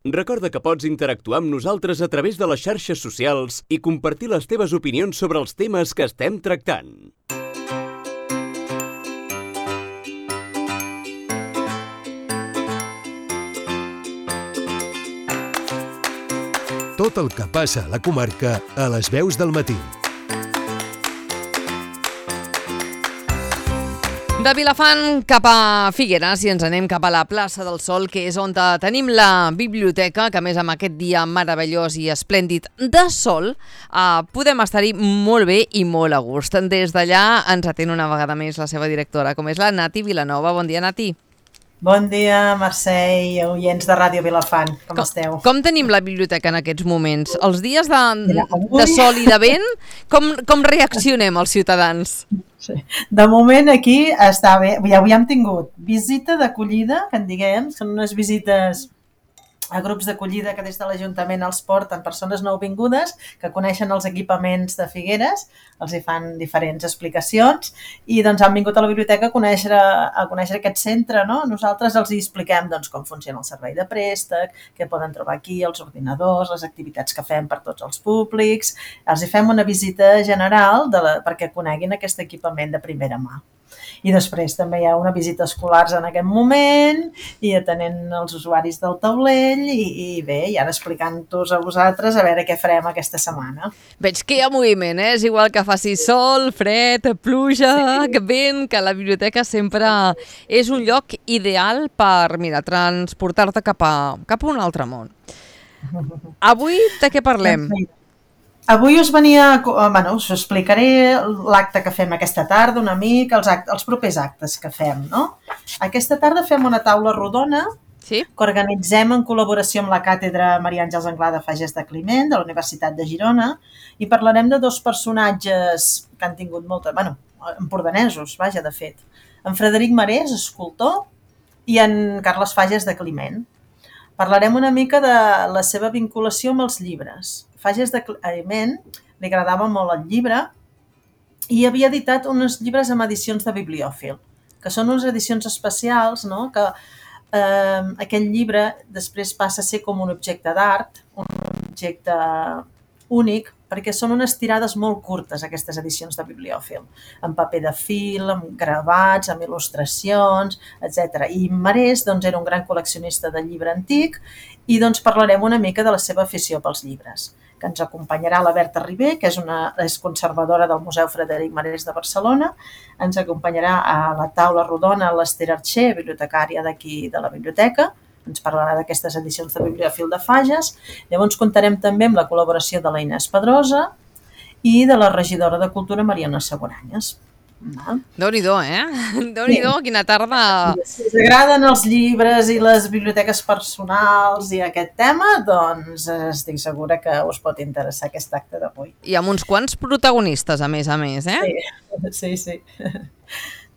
Recorda que pots interactuar amb nosaltres a través de les xarxes socials i compartir les teves opinions sobre els temes que estem tractant. Tot el que passa a la comarca a les veus del matí. De Vilafant cap a Figueres i ens anem cap a la plaça del Sol, que és on tenim la biblioteca, que a més amb aquest dia meravellós i esplèndid de sol podem estar-hi molt bé i molt a gust. Des d'allà ens atén una vegada més la seva directora, com és la Nati Vilanova. Bon dia, Nati. Bon dia, Mercè i oients de Ràdio Vilafant. Com esteu? Com tenim la biblioteca en aquests moments? Els dies de sol i de vent, com reaccionem els ciutadans? Sí. De moment aquí està bé. Avui hem tingut visita d'acollida, que en diguem, són unes visites a grups d'acollida que des de l'Ajuntament els porten persones nouvingudes que coneixen els equipaments de Figueres, els hi fan diferents explicacions i doncs han vingut a la biblioteca a conèixer aquest centre, no? Nosaltres els hi expliquem doncs, com funciona el servei de préstec, què poden trobar aquí, els ordinadors, les activitats que fem per tots els públics, els hi fem una visita general perquè coneguin aquest equipament de primera mà. I després també hi ha una visita escolars en aquest moment i atenent els usuaris del taulell i bé, i ara explicant-vos a vosaltres a veure què farem aquesta setmana. Veig que hi ha moviment, És igual que faci sol, fred, pluja, vent, que la biblioteca sempre és un lloc ideal per, transportar-te cap a un altre món. Avui de què parlem? Avui us explicaré l'acte que fem aquesta tarda una mica, els propers actes que fem, no? Aquesta tarda fem una taula rodona que organitzem en col·laboració amb la Càtedra Maria Àngels Anglada Fages de Climent de la Universitat de Girona i parlarem de dos personatges que han tingut empordanesos, de fet. En Frederic Marès, escultor, i en Carles Fages de Climent. Parlarem una mica de la seva vinculació amb els llibres. Fages de Climent li agradava molt el llibre i havia editat uns llibres amb edicions de bibliòfil, que són unes edicions especials, no? Que aquell llibre després passa a ser com un objecte d'art, un objecte únic, perquè són unes tirades molt curtes, aquestes edicions de bibliòfil, amb paper de fil, amb gravats, amb il·lustracions, etc. I Marès era un gran col·leccionista de llibre antic i parlarem una mica de la seva afició pels llibres, que ens acompanyarà la Berta Ribé, que és conservadora del Museu Frederic Marès de Barcelona, ens acompanyarà a la taula rodona l'Ester Archer, bibliotecària d'aquí de la biblioteca, ens parlarà d'aquestes edicions de bibliòfil de Fages. Llavors comptarem també amb la col·laboració de la Inés Pedrosa i de la regidora de Cultura Mariona Seguranyes. Déu-n'hi-do, Déu-n'hi-do, quina tarda! Si us agraden els llibres i les biblioteques personals i aquest tema, doncs estic segura que us pot interessar aquest acte d'avui. I amb uns quants protagonistes, a més, Sí.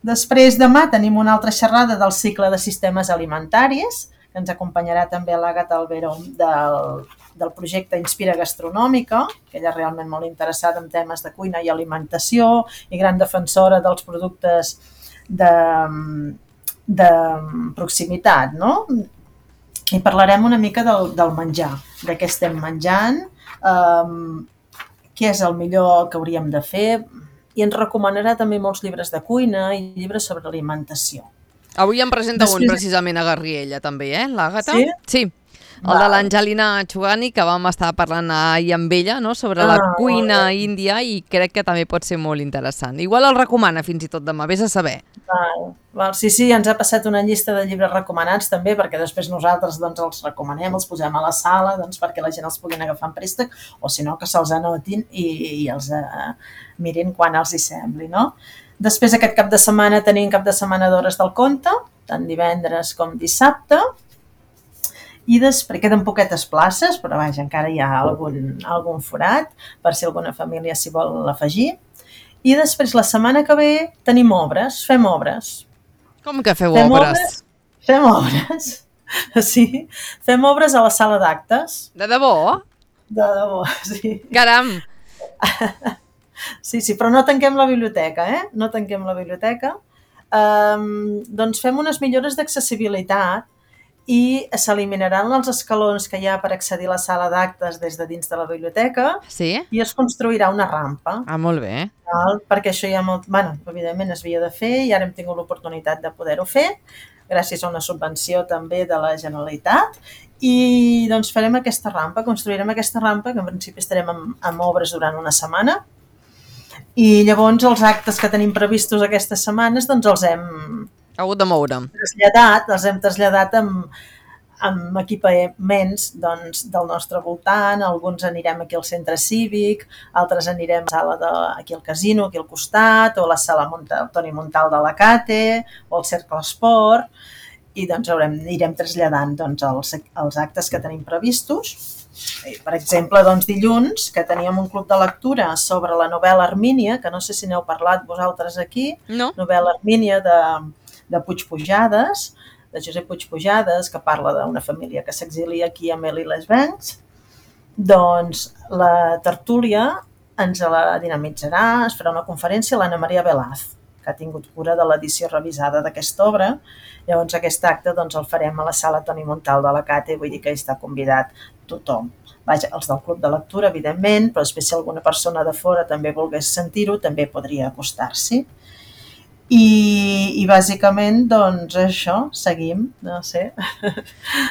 Després, demà, tenim una altra xerrada del cicle de sistemes alimentaris, que ens acompanyarà també l'Àgata Albero del projecte Inspira Gastronòmica, que ella és realment molt interessada en temes de cuina i alimentació i gran defensora dels productes de proximitat, no? I parlarem una mica del menjar, de què estem menjant, què és el millor que hauríem de fer, i ens recomanarà també molts llibres de cuina i llibres sobre alimentació. Avui em presenta un precisament a Garriella també, l'Àgata? Sí? Sí, el de l'Angelina Chugani, que vam estar parlant ahir amb ella, no?, sobre la cuina índia i crec que també pot ser molt interessant. Igual el recomana fins i tot demà, vés a saber. Sí, ens ha passat una llista de llibres recomanats també, perquè després nosaltres els recomanem, els posem a la sala perquè la gent els puguin agafar en préstec, o si no, que se'ls anotin i els mirin quan els hi sembli, no? Després aquest cap de setmana tenim cap de setmana d'hores del conte, tant divendres com dissabte, i després queden poquetes places, però encara hi ha algun forat, per si alguna família s'hi vol afegir. I després la setmana que ve tenim obres, fem obres. Com que feu obres? Fem obres, sí. Fem obres a la sala d'actes. De debò? De debò, sí. Caram! Sí, però no tanquem la biblioteca, No tanquem la biblioteca. Doncs fem unes millores d'accessibilitat i s'eliminaran els escalons que hi ha per accedir a la sala d'actes des de dins de la biblioteca i es construirà una rampa. Molt bé. Perquè això ja evidentment es havia de fer i ara hem tingut l'oportunitat de poder-ho fer gràcies a una subvenció també de la Generalitat i doncs farem aquesta rampa, construirem aquesta rampa que en principi estarem en obres durant una setmana i llavors els actes que tenim previstos aquestes setmanes doncs els hem hagut de moure. Els hem traslladat amb equipaments doncs, del nostre voltant, alguns anirem aquí al centre cívic, altres anirem a la sala aquí al casino, aquí al costat, o a la sala Toni Montal de la Cate, o al Cercle Esport, i doncs irem traslladant doncs, els actes que tenim previstos. Per exemple, doncs, dilluns, que teníem un club de lectura sobre la novel·la Hermínia, que no sé si n'heu parlat vosaltres aquí, novel·la Hermínia de Puig Pujades, de Josep Puig Pujades, que parla d'una família que s'exilia aquí a Mel i les Bancs, doncs la tertúlia ens la dinamitzarà, es farà una conferència a l'Anna Maria Velaz, que ha tingut cura de l'edició revisada d'aquesta obra. Llavors aquest acte doncs, el farem a la sala Toni Montal de la Cate, vull dir que hi està convidat tothom. Vaja, els del club de lectura, evidentment, però després si alguna persona de fora també volgués sentir-ho, també podria acostar-s'hi. I bàsicament, doncs, això, seguim, no sé.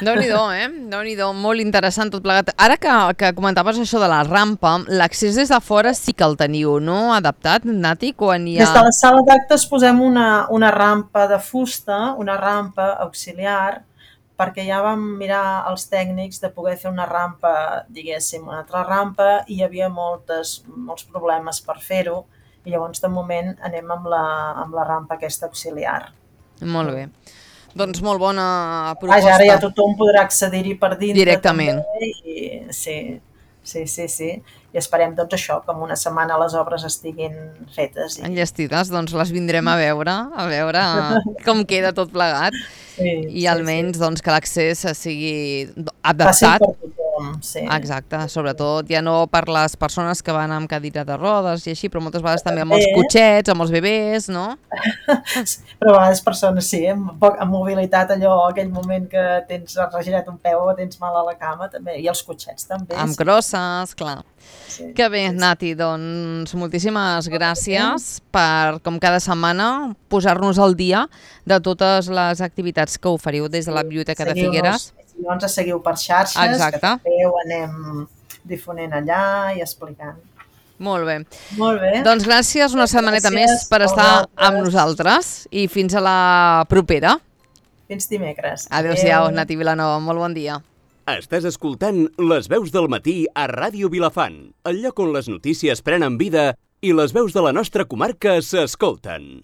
Déu-n'hi-do, Déu-n'hi-do, molt interessant tot plegat. Ara que comentaves això de la rampa, l'accés des de fora sí que el teniu, no? Adaptat, Nati, quan hi ha... Des de la sala d'actes posem una rampa de fusta, una rampa auxiliar, perquè ja vam mirar els tècnics de poder fer una rampa, diguéssim, una altra rampa, i hi havia molts problemes per fer-ho, i llavors de moment anem amb la rampa aquesta auxiliar. Molt bé. Doncs molt bona proposta. Vaja, ara ja tothom podrà accedir-hi per dintre. Directament. També, sí. I esperem doncs això, que en una setmana les obres estiguin fetes. Enllestides, doncs les vindrem a veure com queda tot plegat. I almenys doncs, que l'accés sigui adaptat. Fàcil per tothom, sí. Exacte, sobretot ja no per les persones que van amb cadira de rodes i així, però moltes vegades també amb els cotxets, amb els bebès, no? Però a vegades persones sí, amb mobilitat, aquell moment que tens regirat un peu o tens mal a la cama, també, i els cotxets també. Amb crosses, clar. Sí, que bé, Nati, doncs moltíssimes gràcies per, com cada setmana, posar-nos al dia de totes les activitats que oferiu des de la Biblioteca de Figueres. Llavors seguiu per xarxes, que també ho anem difonent allà i explicant. Molt bé. Molt bé. Doncs gràcies una setmaneta més per estar amb nosaltres i fins a la propera. Fins dimecres. Adéu-siau, Nati Vilanova, molt bon dia. Estàs escoltant Les veus del matí a Ràdio Vilafant, el lloc on les notícies prenen vida i les veus de la nostra comarca s'escolten.